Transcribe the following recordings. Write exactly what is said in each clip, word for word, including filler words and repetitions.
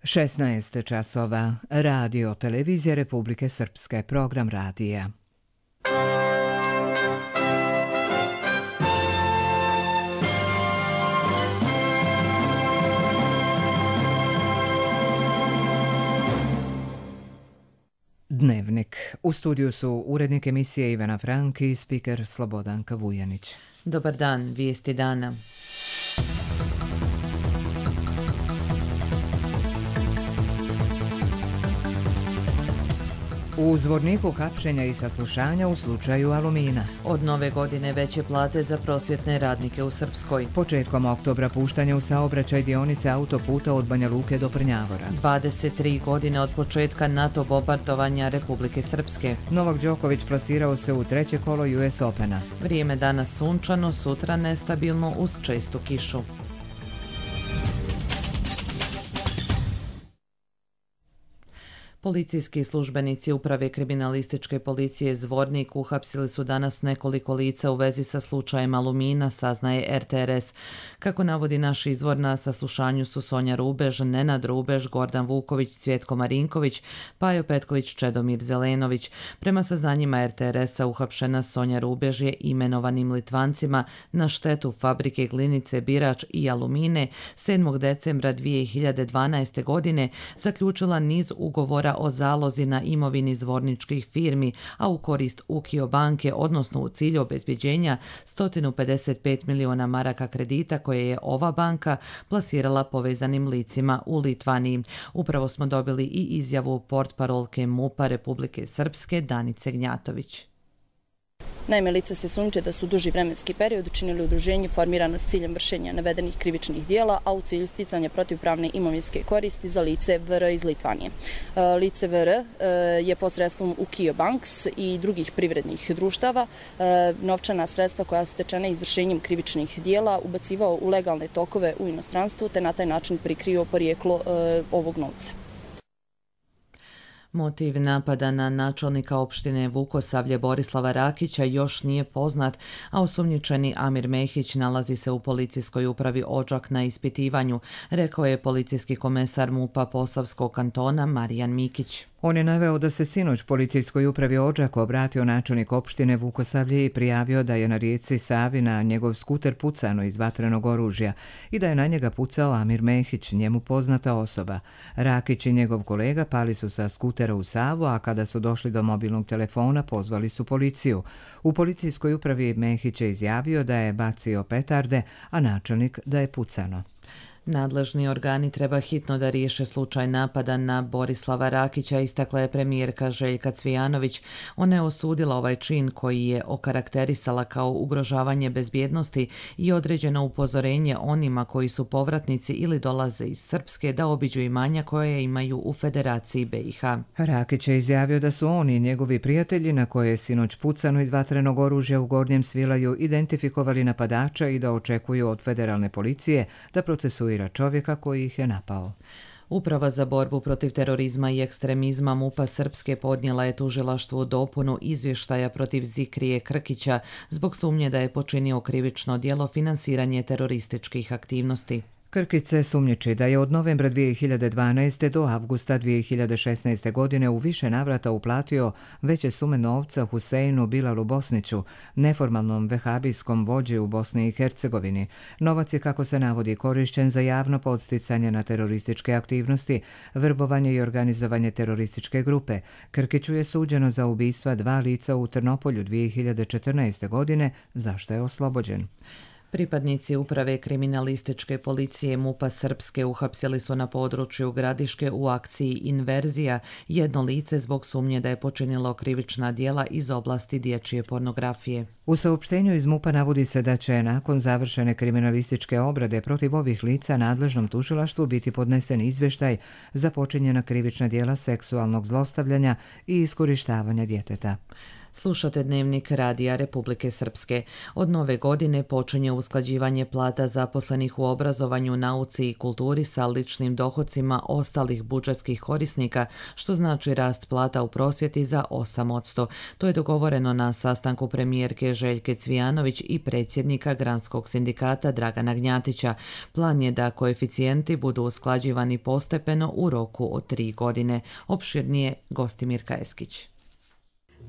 šesnaest časova. Radio Televizija Republike Srpske. Program radija. Dnevnik. U studiju su urednik emisije Ivana Frank i spiker Slobodanka Vujanić. Dobar dan, vijesti dana. U Zvorniku hapšenja i saslušanja u slučaju Alumina. Od nove godine veće plate za prosvjetne radnike u Srpskoj. Početkom oktobra puštanje u saobraćaj dionice autoputa od Banja Luke do Prnjavora. dvadeset tri godine od početka NATO bombardovanja Republike Srpske. Novak Đoković plasirao se u treće kolo U S Opena. Vrijeme danas sunčano, sutra nestabilno uz čestu kišu. Policijski službenici Uprave kriminalističke policije Zvornik uhapsili su danas nekoliko lica u vezi sa slučajem Alumina, saznaje R T R S. Kako navodi naš izvor, na saslušanju su Sonja Rubež, Nenad Rubež, Gordan Vuković, Cvjetko Marinković, Pajo Petković, Čedomir Zelenović. Prema saznanjima R T R S-a uhapšena Sonja Rubež je imenovanim Litvancima na štetu fabrike Glinice Birač i Alumine sedmog decembra dvije hiljade dvanaeste. godine zaključila niz ugovora o zalozi na imovini zvorničkih firmi, a u korist Ukio banke, odnosno u cilju obezbjeđenja sto pedeset pet miliona maraka kredita koje je ova banka plasirala povezanim licima u Litvaniji. Upravo smo dobili i izjavu portparolke MUP-a Republike Srpske Danice Gnjatović. Naime, lica se sumnjiče da su duži vremenski period učinili udruženje formirano s ciljem vršenja navedenih krivičnih dijela, a u cilju sticanja protivpravne imovinske koristi za lice V R iz Litvanije. Lice V R je posredstvom Ukio Banks i drugih privrednih društava novčana sredstva koja su stečena izvršenjem krivičnih dijela ubacivao u legalne tokove u inostranstvu, te na taj način prikrio porijeklo ovog novca. Motiv napada na načelnika opštine Vukosavlje Borislava Rakića još nije poznat, a osumnjičeni Amir Mehić nalazi se u policijskoj upravi Odžak na ispitivanju, rekao je policijski komesar MUP-a Posavskog kantona Marijan Mikić. On je naveo da se sinoć policijskoj upravi Odžak obratio načelnik opštine Vukosavlje i prijavio da je na rijeci Savi na njegov skuter pucano iz vatrenog oružja i da je na njega pucao Amir Mehić, njemu poznata osoba. Rakić i njegov kolega pali su sa skutera u Savu, a kada su došli do mobilnog telefona pozvali su policiju. U policijskoj upravi Mehić je izjavio da je bacio petarde, a načelnik da je pucano. Nadležni organi treba hitno da riješe slučaj napada na Borislava Rakića, istakla je premijerka Željka Cvijanović. Ona je osudila ovaj čin koji je okarakterisala kao ugrožavanje bezbjednosti i određeno upozorenje onima koji su povratnici ili dolaze iz Srpske da obiđu imanja koje imaju u Federaciji B i H. Rakić je izjavio da su oni i njegovi prijatelji na koje je sinoć pucano iz vatrenog oružja u Gornjem Svilaju identifikovali napadača i da očekuju od federalne policije da procesuira čovjeka koji ih je napao. Uprava za borbu protiv terorizma i ekstremizma MUP-a Srpske podnijela je tužilaštvu dopunu izvještaja protiv Zikrije Krkića zbog sumnje da je počinio krivično djelo finansiranje terorističkih aktivnosti. Krkić se sumnjiči da je od novembra dvije hiljade dvanaeste. do avgusta dvije hiljade šesnaeste. godine u više navrata uplatio veće sume novca Huseinu Bilalu Bosniću, neformalnom vehabijskom vođi u Bosni i Hercegovini. Novac je, kako se navodi, korišćen za javno podsticanje na terorističke aktivnosti, vrbovanje i organizovanje terorističke grupe. Krkiću je suđeno za ubistva dva lica u Trnopolju dvije hiljade četrnaeste. godine, za što je oslobođen. Pripadnici Uprave kriminalističke policije MUP-a Srpske uhapsili su na području Gradiške u akciji Inverzija jedno lice zbog sumnje da je počinilo krivična djela iz oblasti dječje pornografije. U saopštenju iz MUP-a navodi se da će nakon završene kriminalističke obrade protiv ovih lica nadležnom tužilaštvu biti podnesen izvještaj za počinjena krivična djela seksualnog zlostavljanja i iskorištavanja djeteta. Slušate Dnevnik Radija Republike Srpske. Od nove godine počinje usklađivanje plata zaposlenih u obrazovanju, nauci i kulturi sa ličnim dohocima ostalih budžetskih korisnika, što znači rast plata u prosvjeti za osam posto. To je dogovoreno na sastanku premijerke Željke Cvijanović i predsjednika Granskog sindikata Dragana Gnjatića. Plan je da koeficijenti budu usklađivani postepeno u roku od tri godine. Opširnije Gostimirka Eskić.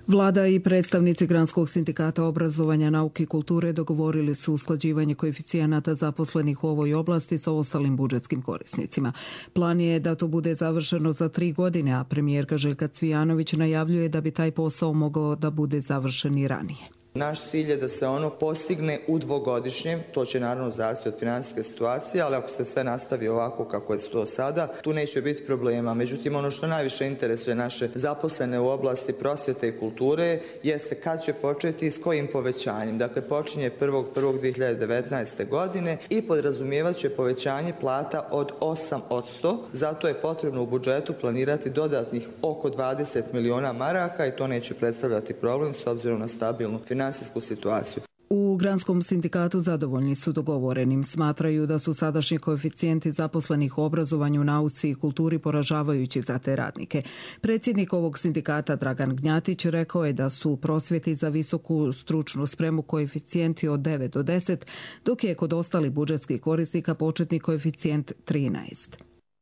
Vlada i predstavnici Granskog sindikata obrazovanja, nauke i kulture dogovorili su usklađivanje koeficijenata zaposlenih u ovoj oblasti sa ostalim budžetskim korisnicima. Plan je da to bude završeno za tri godine, a premijerka Željka Cvijanović najavljuje da bi taj posao mogao da bude završen i ranije. Naš cilj je da se ono postigne u dvogodišnjem, to će naravno zavisiti od financijske situacije, ali ako se sve nastavi ovako kako je to sada, tu neće biti problema. Međutim, ono što najviše interesuje naše zaposlene u oblasti prosvjete i kulture jeste kad će početi i s kojim povećanjem. Dakle, počinje prvog prvog dvije hiljade devetnaeste. godine i podrazumijevat će povećanje plata od osam posto. Zato je potrebno u budžetu planirati dodatnih oko dvadeset miliona maraka i to neće predstavljati problem s obzirom na stabilnu financijsku situaciju. U Granskom sindikatu zadovoljni su dogovorenim. Smatraju da su sadašnji koeficijenti zaposlenih u obrazovanju, nauci i kulturi poražavajući za te radnike. Predsjednik ovog sindikata Dragan Gnjatić rekao je da su u prosvjeti za visoku stručnu spremu koeficijenti od devet do deset, dok je kod ostalih budžetskih korisnika početni koeficijent trinaest.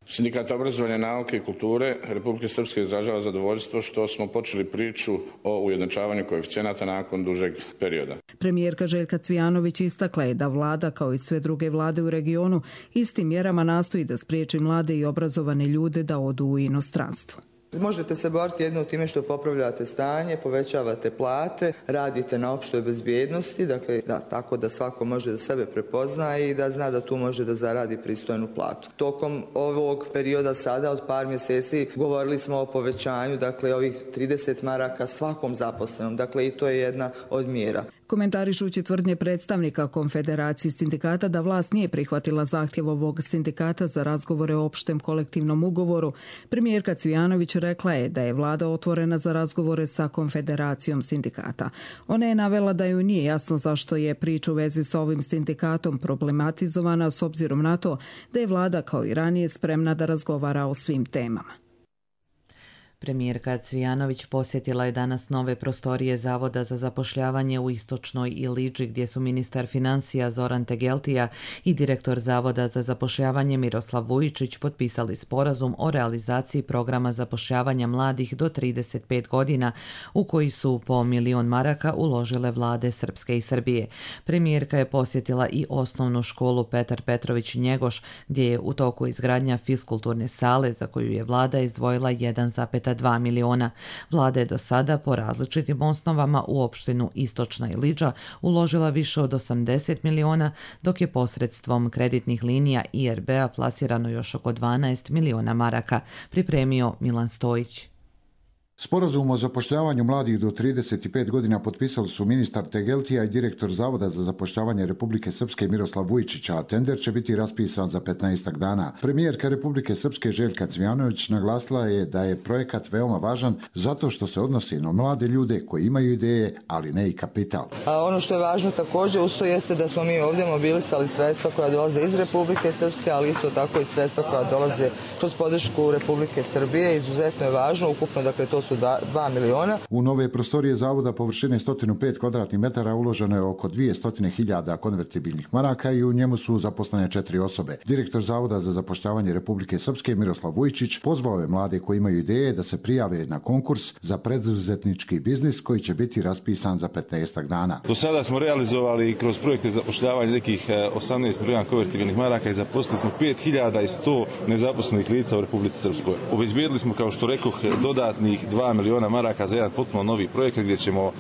Sindikat obrazovanja, nauke i kulture Republike Srpske izražava zadovoljstvo što smo počeli priču o ujednačavanju koeficijenata nakon dužeg perioda. Premijerka Željka Cvijanović istakla je da vlada, kao i sve druge vlade u regionu, istim mjerama nastoji da spriječi mlade i obrazovane ljude da odu u inostranstvo. Možete se boriti jedno time što popravljate stanje, povećavate plate, radite na opštoj bezbjednosti, dakle da, tako da svako može da sebe prepozna i da zna da tu može da zaradi pristojnu platu. Tokom ovog perioda sada od par mjeseci govorili smo o povećanju, dakle ovih trideset maraka svakom zaposlenom, dakle i to je jedna od mjera. Komentarišući tvrdnje predstavnika Konfederacije sindikata da vlast nije prihvatila zahtjev ovog sindikata za razgovore o opštem kolektivnom ugovoru, premijerka Cvijanović rekla je da je vlada otvorena za razgovore sa Konfederacijom sindikata. Ona je navela da joj nije jasno zašto je priča u vezi sa ovim sindikatom problematizovana s obzirom na to da je vlada kao i ranije spremna da razgovara o svim temama. Premijerka Cvijanović posjetila je danas nove prostorije Zavoda za zapošljavanje u Istočnoj Iliđi, gdje su ministar financija Zoran Tegeltija i direktor Zavoda za zapošljavanje Miroslav Vujičić potpisali sporazum o realizaciji programa zapošljavanja mladih do trideset pet godina, u koji su po milion maraka uložile vlade Srpske i Srbije. Premijerka je posjetila i osnovnu školu Petar Petrović Njegoš, gdje je u toku izgradnja fiskulturne sale za koju je vlada izdvojila jedan zarez dva miliona. Vlada je do sada po različitim osnovama u opštinu Istočna Iliđa uložila više od osamdeset miliona, dok je posredstvom kreditnih linija I R B-a plasirano još oko dvanaest miliona maraka, pripremio Milan Stojić. Sporazum o zapošljavanju mladih do trideset pet godina potpisali su ministar Tegeltija i direktor Zavoda za zapošljavanje Republike Srpske Miroslav Vujičić, a tender će biti raspisan za petnaestak dana. Premijerka Republike Srpske Željka Cvijanović naglasila je da je projekat veoma važan zato što se odnosi na mlade ljude koji imaju ideje, ali ne i kapital. A ono što je važno također uz to jeste da smo mi ovdje mobilisali sredstva koja dolaze iz Republike Srpske, ali isto tako i sredstva koja dolaze kroz podršku Republike Srbije. Izuzetno je važno, ukupno dakle to su dva miliona. U nove prostorije zavoda površine sto pet kvadratnih metara uloženo je oko dvjesto hiljada konvertibilnih maraka i u njemu su zaposlene četiri osobe. Direktor Zavoda za zapošljavanje Republike Srpske Miroslav Vujičić pozvao je mlade koji imaju ideje da se prijave na konkurs za preduzetnički biznis koji će biti raspisan za petnaestak dana. Do sada smo realizovali kroz projekte zapošljavanja nekih osamnaest miliona konvertibilnih maraka i zaposlili smo pet hiljada sto nezaposlenih lica u Republici Srpskoj. Obezbijedili smo, kao što rekoh, dodatnih dva miliona maraka za jedan potpuno novi projekat gdje ćemo uh,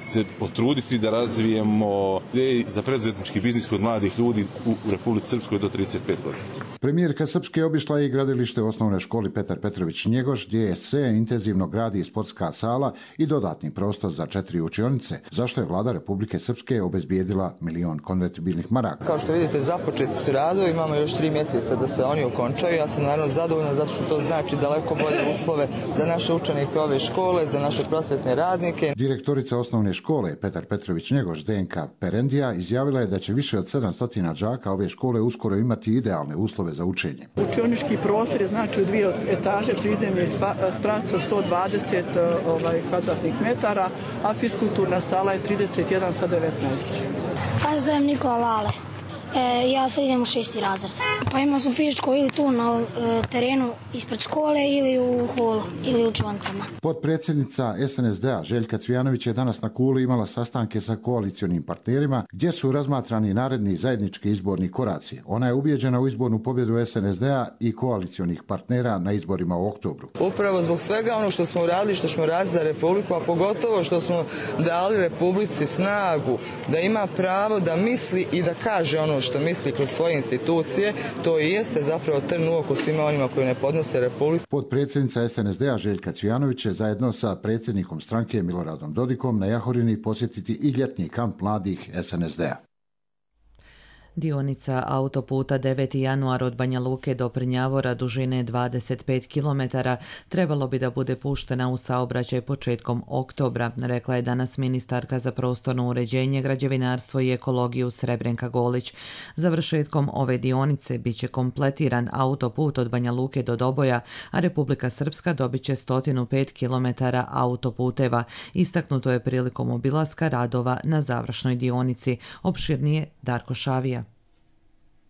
se potruditi da razvijemo ideje za preduzetnički biznis kod mladih ljudi u Republici Srpskoj do trideset pet godina. Premijerka Srpske obišla je i gradilište u osnovnoj školi Petar Petrović Njegoš, gdje se intenzivno gradi sportska sala i dodatni prostor za četiri učionice, zašto je vlada Republike Srpske obezbijedila milion konvertibilnih maraka. Kao što vidite, započeti su radovi, imamo još tri mjeseca da se oni okončaju. Ja sam naravno zadovoljna zato što to znači daleko bolje uslove za naše naše učenike ove škole, za naše prosvetne radnike. Direktorica osnovne škole Petar Petrović Njegoš Zdenka Perendija izjavila je da će više od sedamsto đaka ove škole uskoro imati idealne uslove za učenje. Učionički prostor je znači u dvije etaže, prizemlje sprat od sto dvadeset ovaj, kvadratnih metara, a fiskulturna sala je trideset jedan sa devetnaest. Ja se zovem Nikola Lale. E, ja sad idem u šesti razred. Pa imao sam fizičko ili tu na e, terenu ispred škole ili u holu ili u učionicama. Potpredsjednica S N S D-a Željka Cvijanović je danas na Kuli imala sastanke sa koalicionim partnerima gdje su razmatrani naredni zajednički izborni koraci. Ona je ubijeđena u izbornu pobjedu S N S D-a i koalicionih partnera na izborima u oktobru. Upravo zbog svega ono što smo uradili, što smo radili za Republiku, a pogotovo što smo dali Republici snagu da ima pravo da misli i da kaže ono što misli kroz svoje institucije, to i jeste zapravo trn u oku svima onima koji ne podnose Republiku. Potpredsjednica S N S D-a Željka Cvijanović će zajedno sa predsjednikom stranke Miloradom Dodikom na Jahorini posjetiti i ljetni kamp mladih S N S D-a. Dionica autoputa deveti januar od Banja Luke do Prnjavora dužine dvadeset pet kilometara trebalo bi da bude puštena u saobraćaj početkom oktobra, rekla je danas ministarka za prostorno uređenje, građevinarstvo i ekologiju Srebrenka Golić. Završetkom ove dionice bit će kompletiran autoput od Banja Luke do Doboja, a Republika Srpska dobit će sto pet kilometara autoputeva. Istaknuto je prilikom obilaska radova na završnoj dionici. Opširnije Darko Šavija.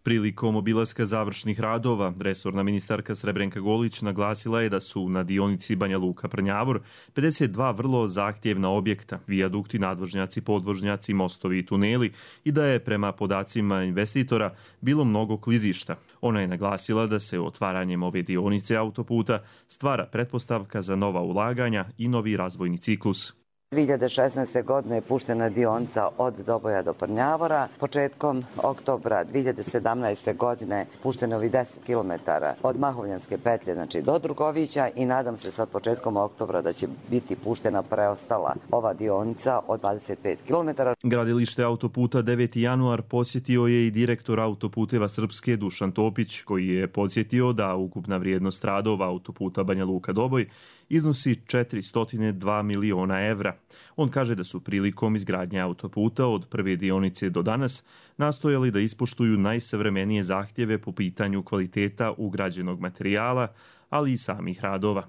Prilikom obilaska završnih radova, resorna ministarka Srebrenka Golić naglasila je da su na dionici Banja Luka-Prnjavor pedeset dva vrlo zahtjevna objekta, vijadukti, nadvožnjaci, podvožnjaci, mostovi i tuneli i da je prema podacima investitora bilo mnogo klizišta. Ona je naglasila da se otvaranjem ove dionice autoputa stvara pretpostavka za nova ulaganja i novi razvojni ciklus. dvije hiljade šesnaeste. godine je puštena dionica od Doboja do Prnjavora. Početkom oktobra dvije hiljade sedamnaeste. godine pušteno je deset kilometara od Mahovljanske petlje, znači do Drugovića, i nadam se sad početkom oktobra da će biti puštena preostala ova dionica od dvadeset pet kilometara. Gradilište autoputa deveti januar posjetio je i direktor autoputeva Srpske Dušan Topić, koji je podsjetio da ukupna vrijednost radova autoputa Banja Luka-Doboj iznosi četiristo dva miliona evra. On kaže da su prilikom izgradnje autoputa od prve dionice do danas nastojali da ispoštuju najsavremenije zahtjeve po pitanju kvaliteta ugrađenog materijala, ali i samih radova.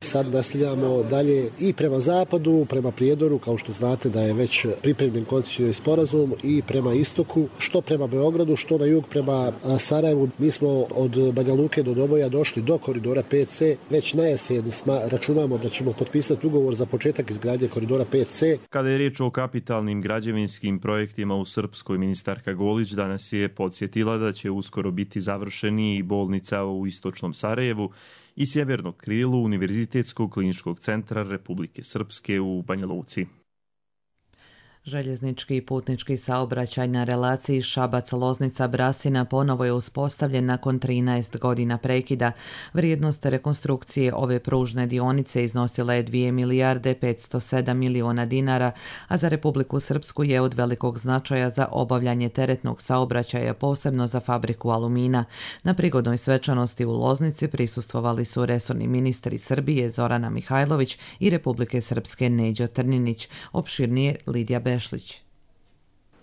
Sad nastavljamo dalje i prema zapadu, prema Prijedoru, kao što znate da je već pripremljen koncesioni sporazum, i prema istoku, što prema Beogradu, što na jug prema Sarajevu. Mi smo od Banja Luke do Doboja došli do koridora pet ce. Već na jesen računamo da ćemo potpisati ugovor za početak izgradnje koridora pet ce. Kada je riječ o kapitalnim građevinskim projektima u Srpskoj, ministarka Golić danas je podsjetila da će uskoro biti završeni i bolnica u istočnom Sarajevu i sjevernog krilu Univerzitetskog kliničkog centra Republike Srpske u Banja Luci. Željeznički i putnički saobraćaj na relaciji Šabac-Loznica-Brasina ponovo je uspostavljen nakon trinaest godina prekida. Vrijednost rekonstrukcije ove pružne dionice iznosila je dvije milijarde petsto sedam miliona dinara, a za Republiku Srpsku je od velikog značaja za obavljanje teretnog saobraćaja, posebno za fabriku alumina. Na prigodnoj svečanosti u Loznici prisustvovali su resorni ministri Srbije Zorana Mihajlović i Republike Srpske Neđo Trninić. Opširnije Lidija Bešlić.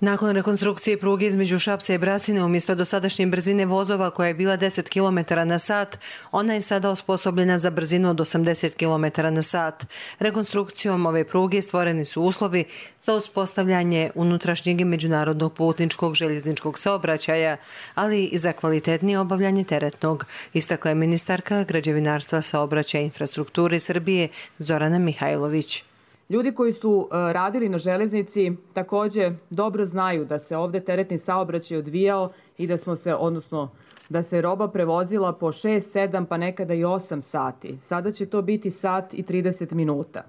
Nakon rekonstrukcije pruge između Šapca i Brasine, umjesto dosadašnje brzine vozova koja je bila deset kilometara na sat, ona je sada osposobljena za brzinu od osamdeset kilometara na sat. Rekonstrukcijom ove pruge stvoreni su uslovi za uspostavljanje unutrašnjeg i međunarodnog putničkog željezničkog saobraćaja, ali i za kvalitetnije obavljanje teretnog, istakla je ministarka građevinarstva, saobraćaja i infrastrukture Srbije Zorana Mihajlović. Ljudi koji su radili na železnici također dobro znaju da se ovdje teretni saobraćaj odvijao i da smo se, odnosno da se roba prevozila po šest, sedam pa nekada i osam sati. Sada će to biti sat i trideset minuta.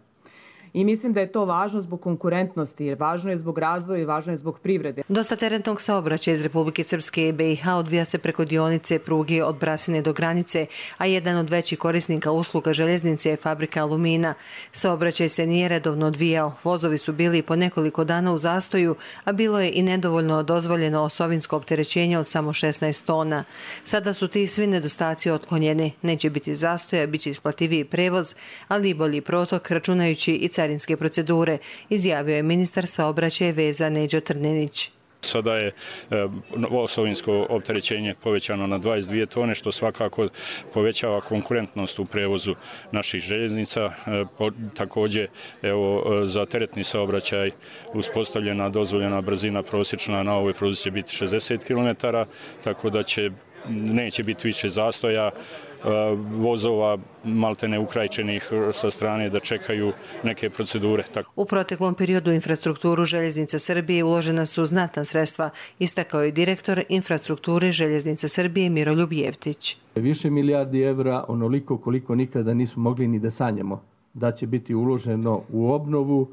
I mislim da je to važno zbog konkurentnosti, jer važno je zbog razvoja i važno je zbog privrede. Dosta teretnog saobraćaja iz Republike Srpske i B i H odvija se preko dionice pruge od Brasine do granice, a jedan od većih korisnika usluga željeznice je fabrika Alumina. Saobraćaj se nije redovno odvijao. Vozovi su bili po nekoliko dana u zastoju, a bilo je i nedovoljno dozvoljeno osovinsko opterećenje od samo šesnaest tona. Sada su ti svi nedostaci otklonjeni. Neće biti zastoja, bit će isplativiji prevoz, ali i bolji protok, računajući i carinske procedure, izjavio je ministar saobraćaja i veza Neđo Trninić. Sada je osovinsko opterećenje povećano na dvadeset dvije tone, što svakako povećava konkurentnost u prevozu naših željeznica. Također, evo, za teretni saobraćaj uspostavljena dozvoljena brzina prosječna na ovoj pruzi će biti šezdeset kilometara, tako da će neće biti više zastoja vozova maltene ukrajčenih sa strane da čekaju neke procedure. U proteklom periodu u infrastrukturu Željeznica Srbije uložena su znatna sredstva, istakao je direktor infrastrukture Željeznica Srbije Miroljub Jevtić. Više milijardi evra, onoliko koliko nikada nismo mogli ni da sanjamo, da će biti uloženo u obnovu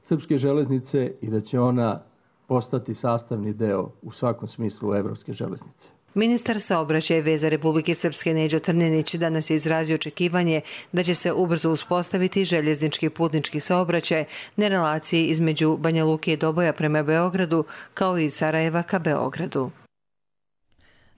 srpske železnice i da će ona postati sastavni deo u svakom smislu evropske železnice. Ministar saobraćaja i veza Republike Srpske Neđo Trninić danas je izrazio očekivanje da će se ubrzo uspostaviti željeznički putnički saobraćaj na relaciji između Banja Luke i Doboja prema Beogradu, kao i Sarajeva ka Beogradu.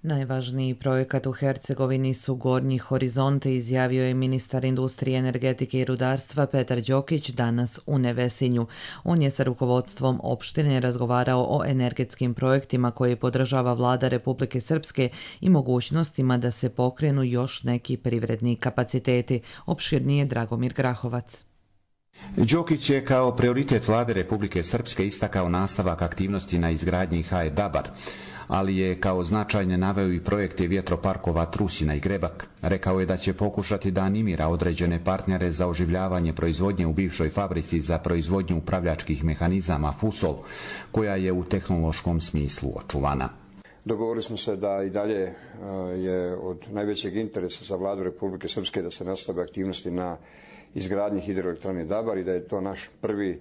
Najvažniji projekat u Hercegovini su Gornji horizonti, izjavio je ministar industrije, energetike i rudarstva Petar Đokić danas u Nevesinju. On je sa rukovodstvom opštine razgovarao o energetskim projektima koje podržava vlada Republike Srpske i mogućnostima da se pokrenu još neki privredni kapaciteti. Opširnije Dragomir Grahovac. Đokić je kao prioritet vlade Republike Srpske istakao nastavak aktivnosti na izgradnji H E Dabar, ali je kao značajne naveo i projekte vjetroparkova Trusina i Grebak. Rekao je da će pokušati da animira određene partnere za oživljavanje proizvodnje u bivšoj fabrici za proizvodnju upravljačkih mehanizama Fusol, koja je u tehnološkom smislu očuvana. Dogovorili smo se da i dalje je od najvećeg interesa za vladu Republike Srpske da se nastave aktivnosti na izgradnji hidroelektrane Dabar i da je to naš prvi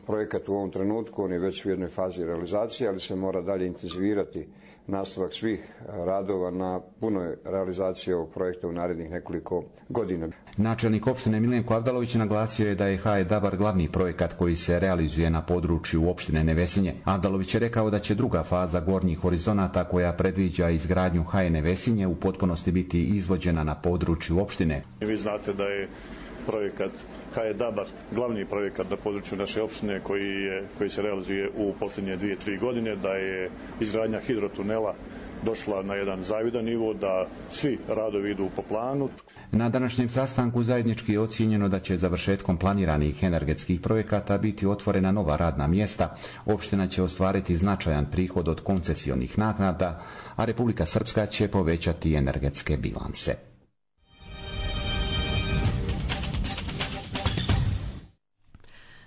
projekat u ovom trenutku. On je već u jednoj fazi realizacije, ali se mora dalje intenzivirati nastavak svih radova na punoj realizaciji ovog projekta u narednih nekoliko godina. Načelnik opštine Milenko Avdalović naglasio je da je H E Dabar glavni projekat koji se realizuje na području opštine Nevesinje. Avdalović je rekao da će druga faza Gornjih horizonata, koja predviđa izgradnju H E Nevesinje, u potpunosti biti izvođena na području opštine. Vi znate da je projekat H E Dabar glavni projekat na području naše opštine koji, je, koji se realizuje u posljednje dvije, tri godine, da je izgradnja hidrotunela došla na jedan zavidan nivo, da svi radovi idu po planu. Na današnjem sastanku zajednički je ocijenjeno da će završetkom planiranih energetskih projekata biti otvorena nova radna mjesta, opština će ostvariti značajan prihod od koncesionih naknada, a Republika Srpska će povećati energetske bilanse.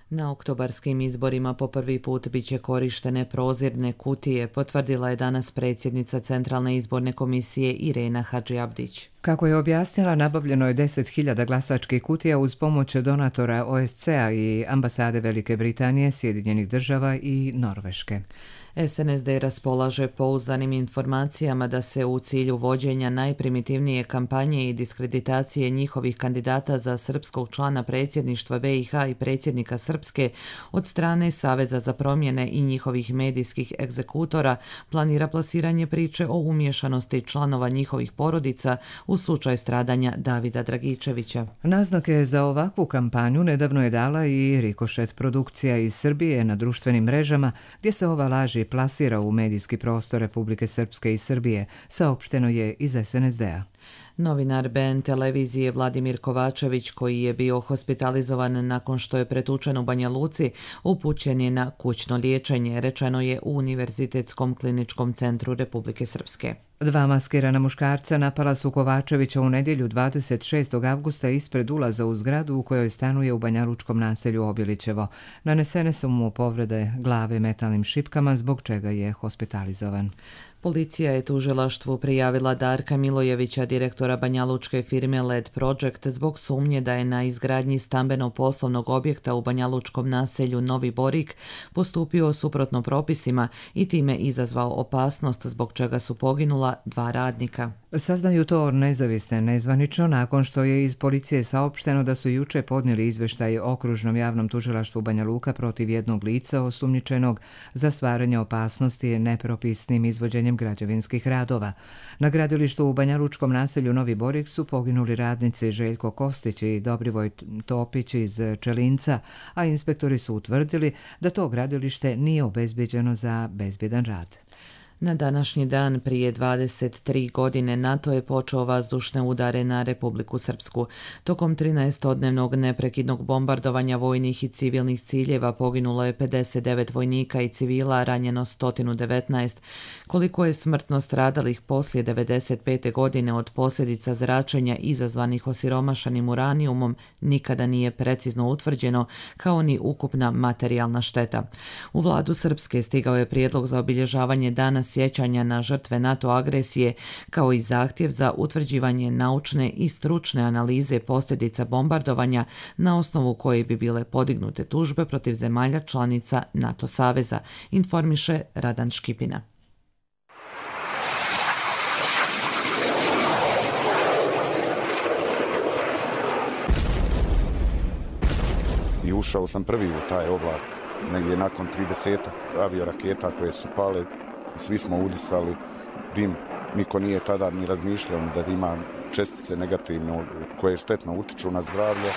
Na oktobarskim izborima po prvi put biće korištene prozirne kutije, potvrdila je danas predsjednica Centralne izborne komisije Irena Hadžiabdić. Kako je objasnila, nabavljeno je deset hiljada glasačkih kutija uz pomoć donatora O S C A i ambasade Velike Britanije, Sjedinjenih država i Norveške. S N S D raspolaže pouzdanim informacijama da se u cilju vođenja najprimitivnije kampanje i diskreditacije njihovih kandidata za srpskog člana predsjedništva B i H i predsjednika Srpske od strane Saveza za promjene i njihovih medijskih egzekutora planira plasiranje priče o umješanosti članova njihovih porodica u slučaj stradanja Davida Dragičevića. Naznake za ovakvu kampanju nedavno je dala i Rikošet produkcija iz Srbije na društvenim mrežama, gdje se ova laž plasira u medijski prostor Republike Srpske i Srbije, saopšteno je iz S N S D-a. Novinar B N televizije Vladimir Kovačević, koji je bio hospitalizovan nakon što je pretučen u Banja Luci, upućen je na kućno liječenje, rečeno je u Univerzitetskom kliničkom centru Republike Srpske. Dva maskirana muškarca napala su Kovačevića u nedjelju dvadeset šestog avgusta ispred ulaza u zgradu u kojoj stanuje u banjalučkom naselju Obilićevo. Nanesene su mu povrede glave metalnim šipkama, zbog čega je hospitalizovan. Policija je tužilaštvu prijavila Darka Milojevića, direktora banjalučke firme L E D Project, zbog sumnje da je na izgradnji stambeno-poslovnog objekta u banjalučkom naselju Novi Borik postupio suprotno propisima i time izazvao opasnost, zbog čega su poginula dva radnika. Saznaju to nezavisne nezvanično nakon što je iz policije saopšteno da su juče podnijeli izveštaj Okružnom javnom tužilaštvu Banja Luka protiv jednog lica osumnjičenog za stvaranje opasnosti nepropisnim izvođenjem građevinskih radova. Na gradilištu u banjalučkom naselju Novi Borik su poginuli radnici Željko Kostić i Dobrivoj Topić iz Čelinca, a inspektori su utvrdili da to gradilište nije obezbeđeno za bezbjedan rad. Na današnji dan prije dvadeset tri godine NATO je počeo vazdušne udare na Republiku Srpsku. Tokom trinaestodnevnog neprekidnog bombardovanja vojnih i civilnih ciljeva poginulo je pedeset devet vojnika i civila, ranjeno sto devetnaest. Koliko je smrtno stradalih poslije devedeset pete godine od posljedica zračenja izazvanih osiromašanim uranijumom nikada nije precizno utvrđeno, kao ni ukupna materijalna šteta. U vladu Srpske stigao je prijedlog za obilježavanje dana sjećanja na žrtve NATO agresije, kao i zahtjev za utvrđivanje naučne i stručne analize posljedica bombardovanja na osnovu koje bi bile podignute tužbe protiv zemalja članica NATO saveza, informiše Radan Škipina. I ušao sam prvi u taj oblak, negdje nakon tridesetak avioraketa koje su pale. Svi smo udisali dim, niko nije tada ni razmišljao da ima čestice negativno koje štetno utiču na zdravlje.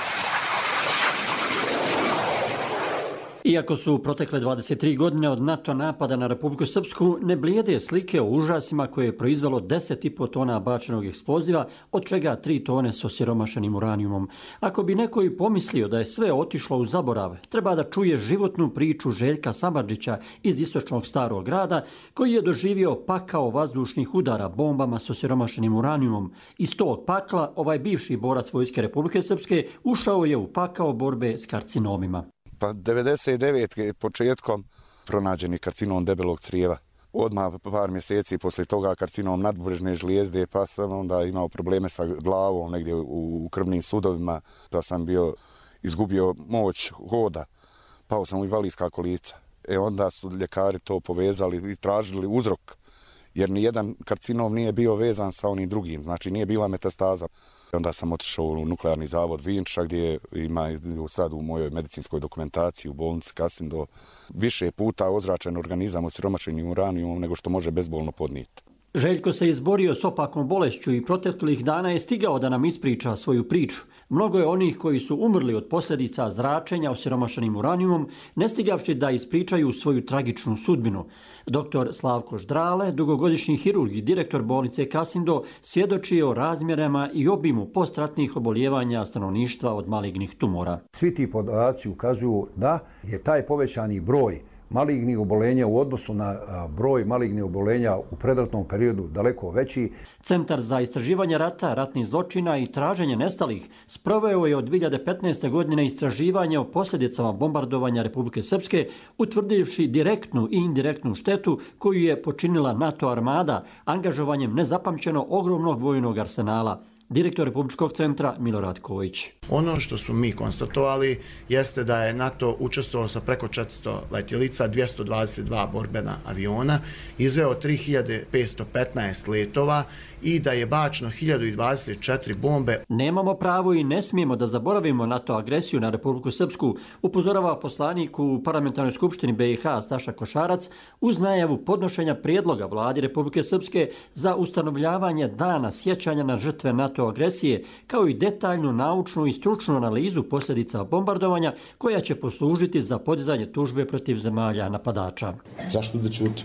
Iako su protekle dvadeset tri godine od NATO napada na Republiku Srpsku, ne blijede slike o užasima koje je proizvelo deset i po tona bačenog eksploziva, od čega tri tone s osiromašenim uranijumom. Ako bi neko i pomislio da je sve otišlo u zaborav, treba da čuje životnu priču Željka Samardžića iz istočnog Starog grada, koji je doživio pakao vazdušnih udara bombama s osiromašenim uranijumom. Iz tog pakla ovaj bivši borac Vojske Republike Srpske ušao je u pakao borbe s karcinomima. Pa devedeset devete početkom pronađeni karcinom debelog crijeva. Odmah par mjeseci poslije toga karcinom nadbubrежne žlijezde, pa sam onda imao probleme sa glavom negdje u krvnim sudovima, da sam bio izgubio moć hoda, pao sam u invalidska kolica. E onda su ljekari to povezali i tražili uzrok, jer nijedan karcinom nije bio vezan sa onim drugim, znači nije bila metastaza. Onda sam otišao u nuklearni zavod Vinča, gdje ima sad u mojoj medicinskoj dokumentaciji u bolnici Kasindo više puta ozračen organizam osiromašenim uranijumom nego što može bezbolno podnijeti. Željko se izborio s opakom bolešću i proteklih dana je stigao da nam ispriča svoju priču. Mnogo je onih koji su umrli od posljedica zračenja osiromašenim uranijumom, ne stigavši da ispričaju svoju tragičnu sudbinu. Doktor Slavko Ždrale, dugogodišnji hirurg i direktor bolnice Kasindo, svjedoči o razmjerama i obimu postratnih oboljevanja stanovništva od malignih tumora. Svi ti podaci ukazuju da je taj povećani broj malignih oboljenja u odnosu na broj malignih oboljenja u predratnom periodu daleko veći. Centar za istraživanje rata, ratnih zločina i traženje nestalih sproveo je od dvije hiljade petnaeste. godine istraživanje o posljedicama bombardovanja Republike Srpske, utvrdivši direktnu i indirektnu štetu koju je počinila NATO armada angažovanjem nezapamćeno ogromnog vojnog arsenala. Direktor Republičkog centra Milorad Kojić. Ono što su mi konstatovali jeste da je NATO učestvovao sa preko četiristo letjelica, dvjesto dvadeset dva borbena aviona, izveo tri hiljade petsto petnaest letova i da je bačeno hiljadu dvadeset četiri bombe. Nemamo pravo i ne smijemo da zaboravimo NATO agresiju na Republiku Srpsku, upozorava poslanik u Parlamentarnoj skupštini B i H Staša Košarac uz najavu podnošenja prijedloga vladi Republike Srpske za ustanovljavanje dana sjećanja na žrtve NATO agresije, kao i detaljnu naučnu i stručnu analizu posljedica bombardovanja koja će poslužiti za podizanje tužbe protiv zemalja napadača. Zašto da ćuti?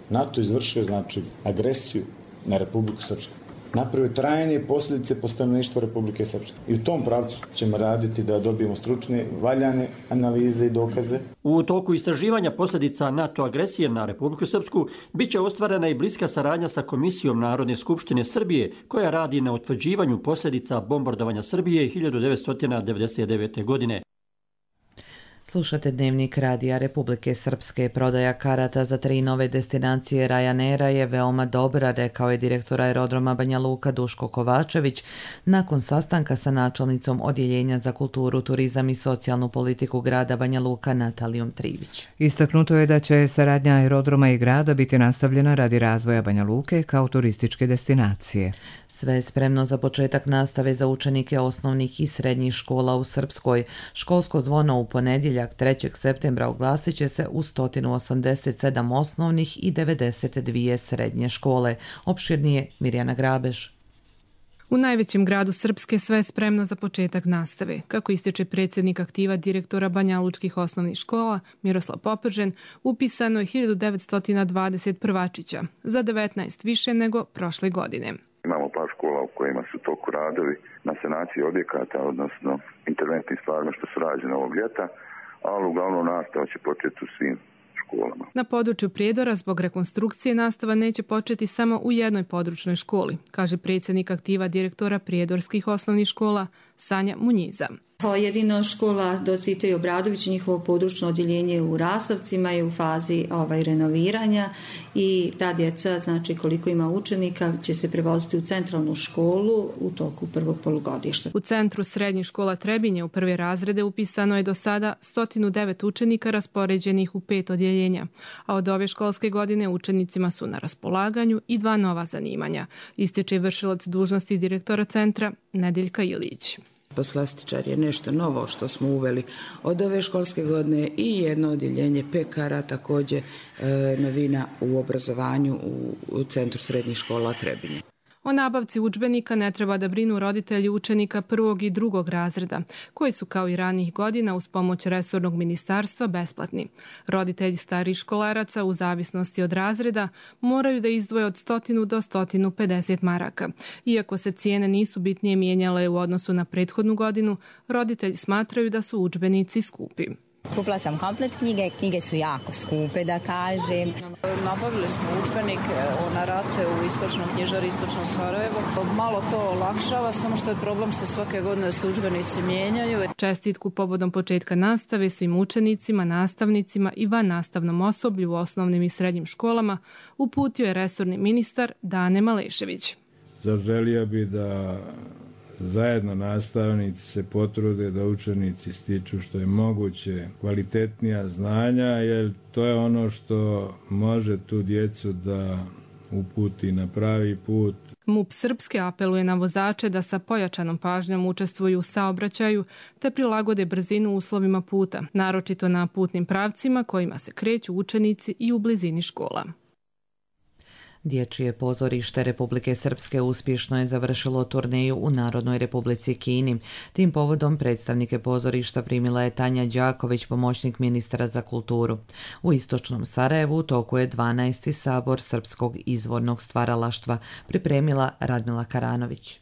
NATO izvršio znači agresiju na Republiku Srpsku. Napravio trajne posljedice po stanovništvu Republike Srpske. I u tom pravcu ćemo raditi da dobijemo stručne, valjane analize i dokaze. U toku istraživanja posljedica NATO agresije na Republiku Srpsku bit će ostvarena i bliska saradnja sa Komisijom Narodne skupštine Srbije, koja radi na utvrđivanju posljedica bombardovanja Srbije hiljadu devetsto devedeset devete. godine. Slušate Dnevnik Radija Republike Srpske. Prodaja karata za tri nove destinacije Ryanaira je veoma dobra, rekao je direktor aerodroma Banja Luka Duško Kovačević nakon sastanka sa načelnicom Odjeljenja za kulturu, turizam i socijalnu politiku grada Banja Luka Natalijom Trivić. Istaknuto je da će saradnja aerodroma i grada biti nastavljena radi razvoja Banja Luke kao turističke destinacije. Sve je spremno za početak nastave za učenike osnovnih i srednjih škola u Srpskoj. Školsko zvono u ponedjeljak trećeg septembra oglasit će se u sto osamdeset sedam osnovnih i devedeset dvije srednje škole. Opširnije Mirjana Grabež. U najvećem gradu Srpske sve je spremno za početak nastave. Kako ističe predsjednik aktiva direktora banjalučkih osnovnih škola Miroslav Popržen, upisano je hiljadu devetsto dvadeset prvačića, za devetnaest više nego prošle godine. Imamo par škola u kojima su toku radovi na sanaciji objekata, odnosno interventnim stvarima što su rađene ovog ljeta, ali uglavnom nastava će početi u svim školama. Na području Prijedora zbog rekonstrukcije nastava neće početi samo u jednoj područnoj školi, kaže predsjednik aktiva direktora prijedorskih osnovnih škola Sanja Munjiza. Jedino škola Docite i Obradović, njihovo područno odjeljenje u Rasavcima je u fazi ovaj, renoviranja i ta djeca, znači koliko ima učenika, će se prevoziti u centralnu školu u toku prvog polugodišta. U centru srednjih škola Trebinje u prve razrede upisano je do sada sto devet učenika raspoređenih u pet odjeljenja, a od ove školske godine učenicima su na raspolaganju i dva nova zanimanja, ističe vršilac dužnosti direktora centra Nedeljka Ilić. Poslastičar je nešto novo što smo uveli od ove školske godine i jedno odjeljenje pekara, također e, novina u obrazovanju u, u centru srednjih škola Trebinje. O nabavci udžbenika ne treba da brinu roditelji učenika prvog i drugog razreda, koji su kao i ranijih godina uz pomoć resornog ministarstva besplatni. Roditelji starih školaraca u zavisnosti od razreda moraju da izdvoje od sto do sto pedeset maraka. Iako se cijene nisu bitnije mijenjale u odnosu na prethodnu godinu, roditelji smatraju da su udžbenici skupi. Kupila sam komplet knjige, knjige su jako skupe, da kažem. Nabavili smo udžbenik na rate u istočnom knjižari, istočnom Sarajevo. Malo to olakšava, samo što je problem što svake godine se udžbenici mijenjaju. Čestitku povodom početka nastave svim učenicima, nastavnicima i van nastavnom osoblju u osnovnim i srednjim školama uputio je resorni ministar Dane Malešević. Zaželio bi da zajedno nastavnici se potrude da učenici stiču što je moguće kvalitetnija znanja, jer to je ono što može tu djecu da uputi na pravi put. M U P Srpske apeluje na vozače da sa pojačanom pažnjom učestvuju u saobraćaju te prilagode brzinu uslovima puta, naročito na putnim pravcima kojima se kreću učenici i u blizini škola. Dječje pozorište Republike Srpske uspješno je završilo turneju u Narodnoj Republici Kini. Tim povodom predstavnike pozorišta primila je Tanja Đaković, pomoćnik ministra za kulturu. U istočnom Sarajevu u toku je dvanaesti sabor srpskog izvornog stvaralaštva, pripremila Radmila Karanović.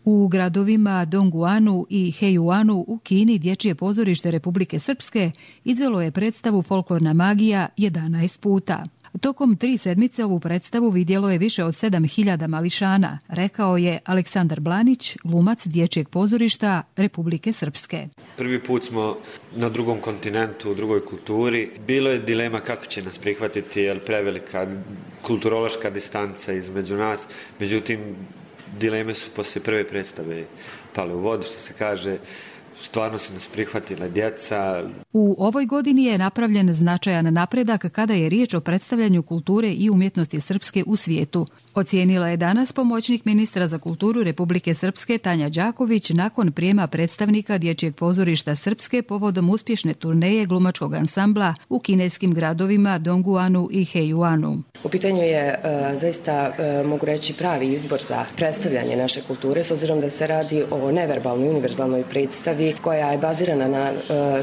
U gradovima Dongguanu i Heijuanu u Kini dječje pozorište Republike Srpske izvelo je predstavu Folklorna magija jedanaest puta. Tokom tri sedmice ovu predstavu vidjelo je više od sedam hiljada mališana, rekao je Aleksandar Blanić, glumac dječjeg pozorišta Republike Srpske. Prvi put smo na drugom kontinentu, u drugoj kulturi. Bilo je dilema kako će nas prihvatiti, jer prevelika kulturološka distanca između nas. Međutim, dileme su poslije prve predstave pale u vodu, što se kaže. Stvarno se nas prihvatila djeca. U ovoj godini je napravljen značajan napredak kada je riječ o predstavljanju kulture i umjetnosti srpske u svijetu. Ocijenila je danas pomoćnik ministra za kulturu Republike Srpske Tanja Đaković nakon prijema predstavnika dječjeg pozorišta Srpske povodom uspješne turneje glumačkog ansambla u kineskim gradovima Dongguanu i Heijuanu. U pitanju je e, zaista, e, mogu reći, pravi izbor za predstavljanje naše kulture, s obzirom da se radi o neverbalnoj univerzalnoj predstavi koja je bazirana na e,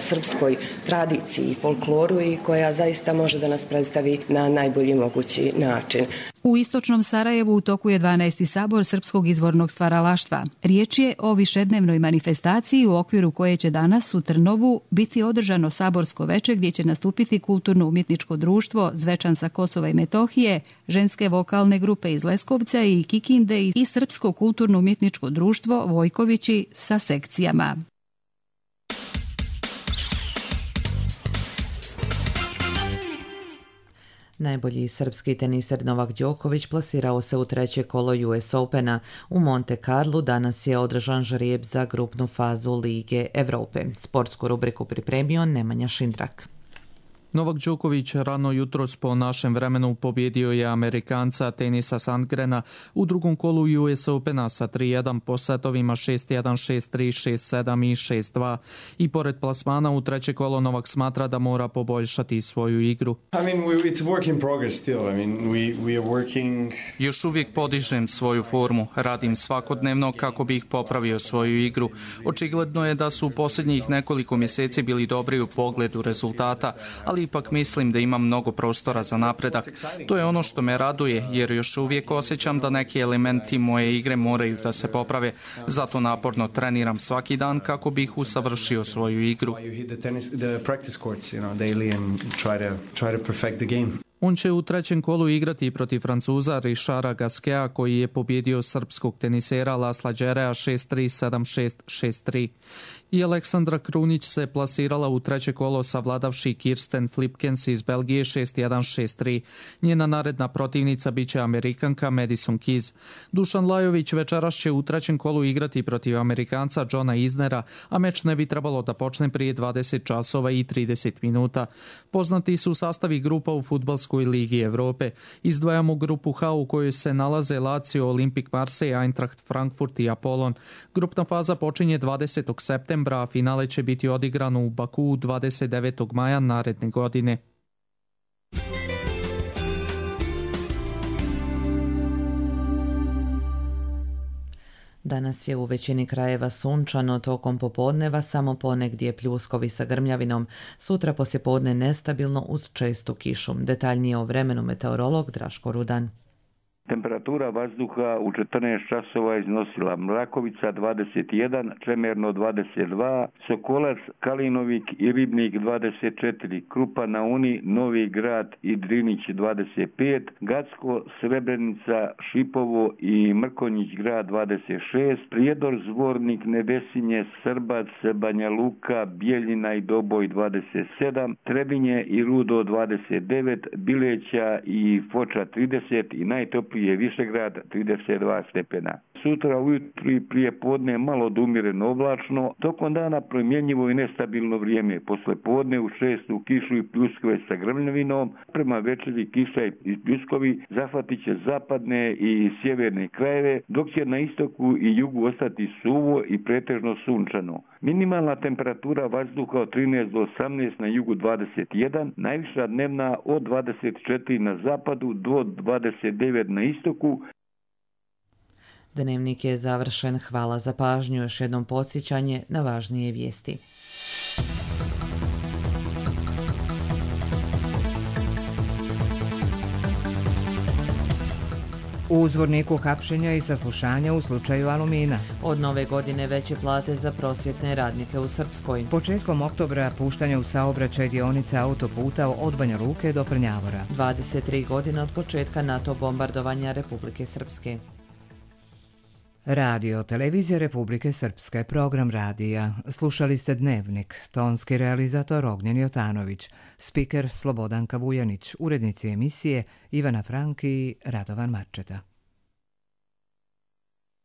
srpskoj tradiciji i folkloru i koja zaista može da nas predstavi na najbolji mogući način. U istočnom Sarajevu u toku je dvanaesti sabor srpskog izvornog stvaralaštva. Riječ je o višednevnoj manifestaciji u okviru koje će danas u Trnovu biti održano saborsko veče gdje će nastupiti kulturno-umjetničko društvo Zvečan sa Kosova i Metohije, ženske vokalne grupe iz Leskovca i Kikinde i srpsko kulturno-umjetničko društvo Vojkovići sa sekcijama. Najbolji srpski teniser Novak Đoković plasirao se u treće kolo U S Opena. U Monte Carlu danas je održan žrijeb za grupnu fazu Lige Evrope. Sportsku rubriku pripremio Nemanja Šindrak. Novak Đoković rano jutros po našem vremenu pobjedio je Amerikanca Tenisa Sandgrena u drugom kolu U S Opena sa tri jedan po setovima šest jedan, šest tri, šest sedam i šest dva. I pored plasmana u treće kolo Novak smatra da mora poboljšati svoju igru. I mean, it's work in progress still. I mean, we, we are working... Još uvijek podižem svoju formu, radim svakodnevno kako bih popravio svoju igru. Očigledno je da su u posljednjih nekoliko mjeseci bili dobri u pogledu rezultata, ali ipak mislim da imam mnogo prostora za napredak. To je ono što me raduje, jer još uvijek osjećam da neki elementi moje igre moraju da se poprave. Zato naporno treniram svaki dan kako bih usavršio svoju igru. On će u trećem kolu igrati protiv Francuza Richarda Gasqueta, koji je pobjedio srpskog tenisera Lasla Đerea šest tri, sedam šest, šest tri. I Aleksandra Krunić se plasirala u treće kolo savladavši Kirsten Flipkens iz Belgije šest jedan, šest tri. Njena naredna protivnica biće Amerikanka Madison Keys. Dušan Lajović večeras će u trećem kolu igrati protiv Amerikanca Johna Isnera, a meč ne bi trebalo da počne prije dvadeset časova i trideset minuta. Poznati su sastavi grupa u Fudbalskoj ligi Evrope. Izdvajamo grupu H u kojoj se nalaze Lazio, Olympique Marseille, Eintracht Frankfurt i Apollon. Grupna faza počinje dvadesetog septembra, a finale će biti odigrano u Bakuu dvadeset devetog maja naredne godine. Danas je u većini krajeva sunčano, tokom popodneva samo ponegdje pljuskovi sa grmljavinom. Sutra poslijepodne nestabilno uz čestu kišu. Detaljnije o vremenu meteorolog Draško Rudan. Temperatura vazduha u četrnaest časova iznosila Mrakovica dvadeset jedan, Čemerno dvadeset dva, Sokolac, Kalinovik i Ribnik dvadeset četiri, Krupa na Uni, Novi Grad i Drinić dvadeset pet, Gacko, Srebrenica, Šipovo i Mrkonjić grad dvadeset šest, Prijedor, Zvornik, Nevesinje, Srbac, Banja Luka, Bijeljina i Doboj dvadeset sedam, Trebinje i Rudo dvadeset devet, Bileća i Foča trideset i najtoplije je Višegrad trideset dva stepena. Sutra ujutru i prije podne malo odumjereno oblačno, tokom dana promjenjivo i nestabilno vrijeme. Posle podne u šestu kišu i pljuskove sa grmljavinom, prema večeri kiša i pljuskovi zahvatit će zapadne i sjeverne krajeve, dok će na istoku i jugu ostati suvo i pretežno sunčano. Minimalna temperatura vazduha od trinaest do osamnaest na jugu dvadeset jedan, najviša dnevna od dvadeset četiri na zapadu do dvadeset devet na istoku. Dnevnik je završen. Hvala za pažnju. Još jednom podsjećanje na važnije vijesti. U Zvorniku hapšenja i saslušanja u slučaju Alumina. Od nove godine veće plate za prosvjetne radnike u Srpskoj. Početkom oktobra puštanje u saobraćaj dionice autoputa od Banja Luke do Prnjavora. dvadeset tri godine od početka NATO bombardovanja Republike Srpske. Radio Televizija Republike Srpske, program radija. Slušali ste Dnevnik, tonski realizator Ognjen Jotanović, spiker Slobodanka Vujanić, urednici emisije Ivana Frank i Radovan Marčeta.